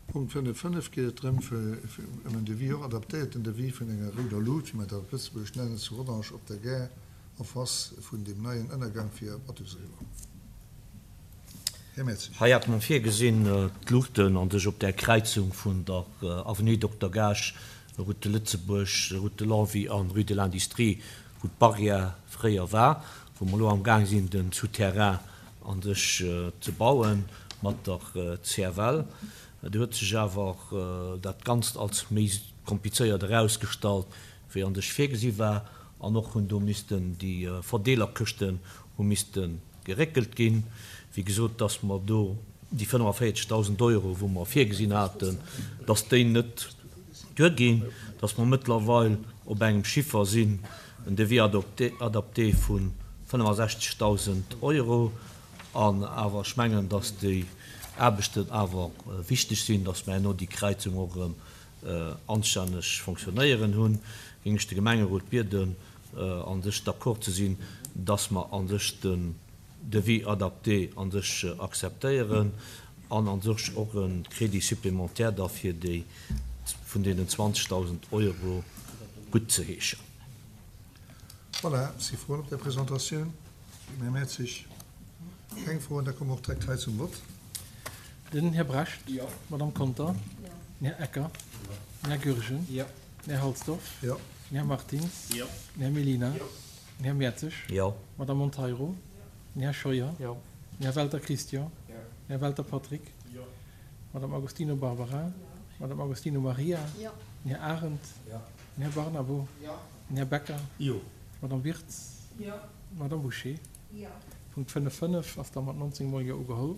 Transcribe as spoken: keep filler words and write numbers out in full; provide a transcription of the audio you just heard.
Punkt fënnef fënnef geet et drëm, fir ëm en Devis, och adaptéierten Devis vun enger rouder Lut, wéi mer dat op Lëtzebuergesch nennen, zu Rodange op der Gare en face vun deem neien Ënnergang fir Athus eriwwer. Här Mertzig. Hei hat mer virgesinn, d'Luuchten an sech op där Kräizung vun der Avenue Dokter Gaasch, Route de Lëtzebuerg, Route de Longwy an Rue de l'Industrie, wou d'Barrière fréier war, wou mer elo amgaang sinn, de Souterrain an sech ze bauen mat der C F L. Do huet sech awer dat Ganzt als méi komplizéiert erausgestallt, wéi an sech virgesi war, an och hunn do missten déi Verdeelerkëschten hu misste geréckelt ginn. Wéi gesot, dass mer do déi fënnefavéierzegdausend Euro, wou mer virgesinn haten, dass déi net duerginn, dass mer mëttlerweil op engem Chiffer sinn, en Devis adapté vu fënnefasechzegdausend Euro, an awer ech mengen, dass déi Aarbechten awer wichteg sinn, dass mer herno déi Kräizung och erëm anstänneg fonctionnéieren hunn, géing ech de Gemengerot bieden, an sech d'accord ze sinn, dass mer an sech den Devis adapté an sech akzeptéieren an an sech och e Crédit supplémentaire da fir déi vun deenen zwanzegdausend Euro guttzeheeschen. Voilà, si Froen op der Presentatioun? Här Mertzig? Keng Froen, da komme mer och direkt hei zum Vott. Den Här Brecht. Jo. D'Madame Conter. Jo. Den Här Ecker. Jo. Den Här Goergen. Jo. Den Här Halsdorf. Jo. Den Här Martins. Jo. Den Här Mellina. Jo. Den Här Mertzig. Jo. D'Madame Monteiro. Den Här Scheuer. Jo. Den Här Welter Christian. Jo. Den Här Welter Patrick. Jo. D'Madame Agostino Barbara. Jo. D'Madame Agostino Maria. Jo. Den Här Arendt. Jo. Den Här Barnabo. Jo. Den Här Becker. Jo. D'Madame Wirtz. Jo. D'Madame Bouché. Jo. Punkt fënnef fënnef ass da mat nonzéng mol Jo ugeholl.